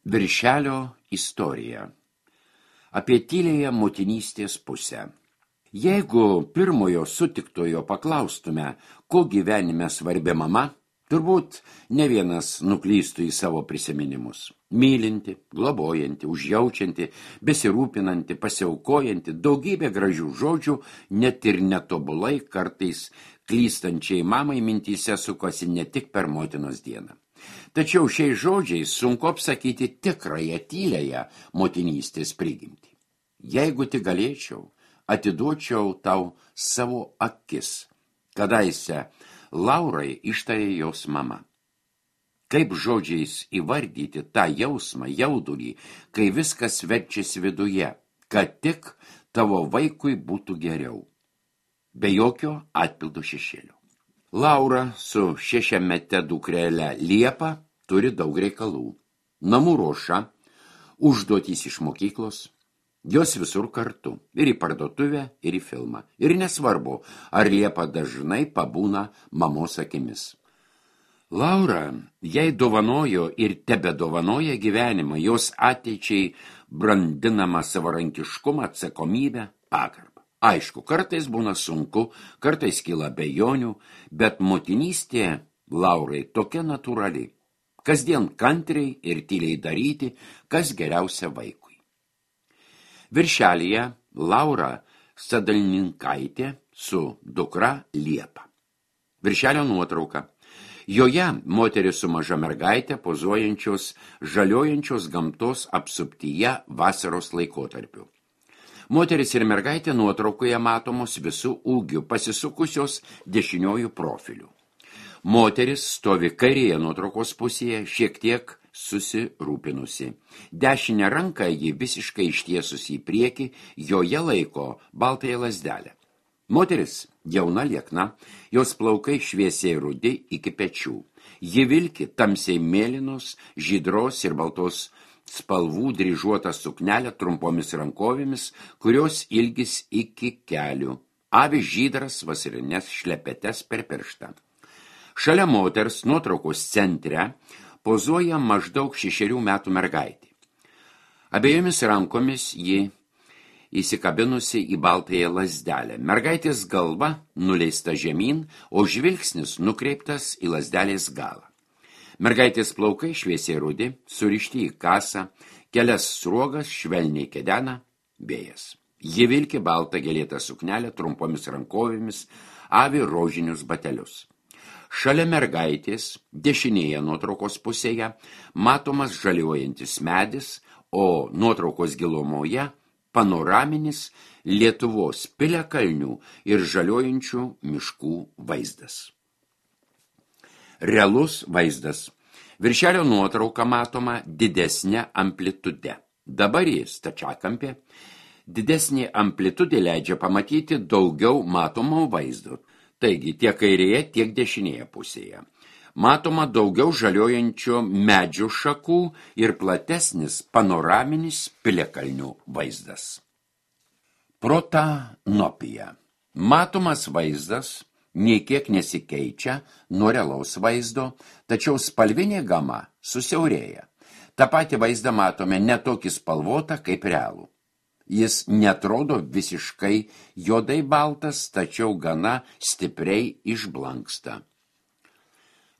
Viršelio istorija. Apie tylėją motinystės pusę. Jeigu pirmojo sutiktojo paklaustume, ko gyvenime svarbi mama, turbūt ne vienas nuklystų į savo prisiminimus. Mylinti, globojanti, užjaučianti, besirūpinanti, pasiaukojanti, daugybė gražių žodžių, net ir netobulai kartais klystančiai mamai mintyse sukosi ne tik per motinos dieną. Tačiau šiais žodžiais sunku apsakyti tikrąją tylėją motinystės prigimtį. Jeigu tik galėčiau, atiduočiau tau savo akis, kadaise Laurai ištarė jos mama. Kaip žodžiais įvardyti tą jausmą, jaudulį, kai viskas verčiasi viduje, kad tik tavo vaikui būtų geriau, be jokio atpildo šešėlio. Laura su 6-mete dukrele Liepa turi daug reikalų. Namų ruoša, užduotys iš mokyklos, jos visur kartu, ir į parduotuvę, ir į filmą. Ir nesvarbu, ar Liepa dažnai pabūna mamos akimis. Laura jai dovanojo ir tebedovanoja gyvenimą, jos ateičiai brandinamą savarankiškumą, atsakomybę, pagarbą. Aišku, kartais būna sunku, kartais kyla abejonių, bet motinystė Laurai tokia natūrali. Kasdien kantriai ir tyliai daryti, kas geriausia vaikui. Viršelyje Laura Sadalninkaitė su dukra Liepa. Viršelio nuotrauka. Joje moteris su maža mergaitė pozuojančios, žaliojančios gamtos apsuptyje vasaros laikotarpiu. Moteris ir mergaitė nuotraukoje matomos visų ūgių, pasisukusios dešiniojų profilių. Moteris stovi kairėje nuotraukos pusėje, šiek tiek susirūpinusi. Dešinę ranką ji visiškai ištiesusi į priekį, joje laiko baltąją lazdelę. Moteris jauna liekna, jos plaukai šviesiai rudi iki pečių. Ji vilki tamsiai mėlynos, žydros ir baltos spalvų dryžuotą suknelę trumpomis rankovėmis, kurios ilgis iki kelių, avi žydras vasarinės šlepetes per pirštą. Šalia moters nuotraukos centre pozuoja maždaug 6 metų mergaitė. Abiejomis rankomis ji įsikabinusi į baltąją lazdelę. Mergaitės galva nuleista žemyn, o žvilgsnis nukreiptas į lazdelės galą. Mergaitės plaukai šviesiai rudi, surišti į kasą, kelias sruogas švelniai kedena vėjas. Ji vilki baltą gėlėtą suknelę trumpomis rankovėmis, avi rožinius batelius. Šalia mergaitės, dešinėje nuotraukos pusėje, matomas žaliuojantis medis, o nuotraukos gilumoje panoraminis Lietuvos piliakalnių ir žaliuojančių miškų vaizdas. Realus vaizdas. Viršelio nuotrauka matoma didesnė amplitude. Dabar jis stačiakampė. Didesnė amplitudė leidžia pamatyti daugiau matomo vaizdo. Taigi tiek kairėje, tiek dešinėje pusėje. Matoma daugiau žaliojančio medžių šakų ir platesnis panoraminis piliakalnių vaizdas. Protanopija. Matomas vaizdas nei kiek nesikeičia nuo realaus vaizdo, tačiau spalvinė gama susiaurėja. Ta pati vaizdą matome netokį spalvotą kaip realų. Jis netrodo visiškai juodai baltas, tačiau gana stipriai išblanksta.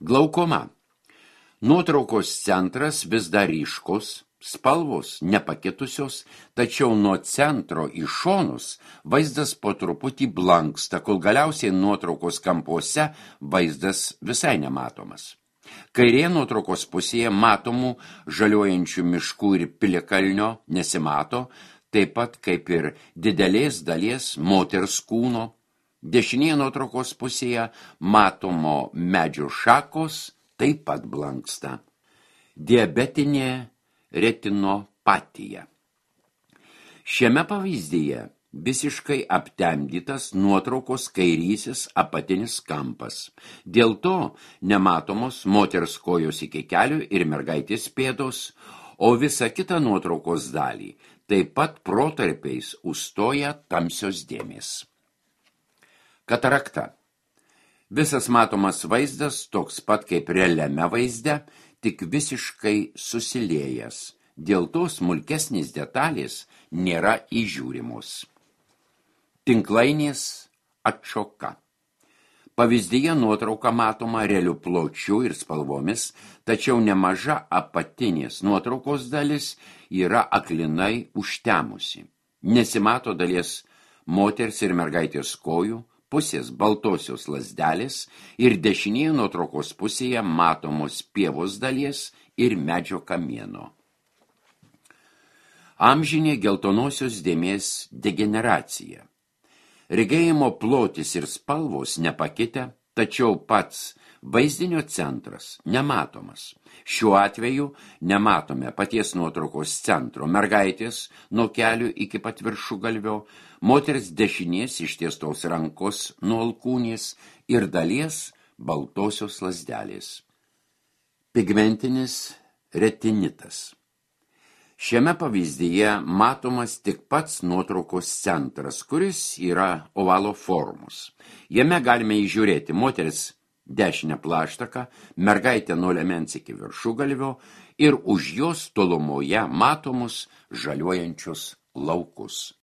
Glaukoma. Nuotraukos centras vis dar ryškus, spalvos nepakitusios, tačiau nuo centro į šonus vaizdas po truputį blanksta, kol galiausiai nuotraukos kampuose vaizdas visai nematomas. Kairėje nuotraukos pusėje matomų žaliuojančių miškų ir piliakalnio nesimato, taip pat kaip ir didelės dalies moters kūno. Dešinėje nuotraukos pusėje matomo medžio šakos taip pat blanksta. Diabetinė retinopatija. Šiame pavyzdyje visiškai aptemdytas nuotraukos kairysis apatinis kampas. Dėl to nematomos moters kojos iki kelių ir mergaitės pėdos, o visą kitą nuotraukos dalį taip pat protarpiais užstoja tamsios dėmės. Katarakta. Visas matomas vaizdas toks pat kaip realiame vaizde, tik visiškai susiliejęs. Dėl to smulkesnės detalės nėra įžiūrimos. Tinklainės atšoka. Pavyzdyje nuotrauka matoma realiu pločiu ir spalvomis, tačiau nemaža apatinės nuotraukos dalis yra aklinai užtemusi. Nesimato dalies moters ir mergaitės kojų, pusės baltosios lazdelės ir dešinėje nuotraukos pusėje matomos pievos dalies ir medžio kamieno. Amžinė geltonosios dėmės degeneracija. Regėjimo plotis ir spalvos nepakitę, tačiau pats vaizdinio centras nematomas. Šiuo atveju nematome paties nuotraukos centro, mergaitės nuo kelių iki pat viršugalvio, moters dešinės ištiestos rankos nuo alkūnės ir dalies baltosios lazdelės. Pigmentinis retinitas. Šiame pavyzdyje matomas tik pats nuotraukos centras, kuris yra ovalo formos. Jame galime įžiūrėti moteris dešinę plaštaką, mergaitę nuo liemens iki viršugalvio ir už jos tolumoje matomus žaliuojančius laukus.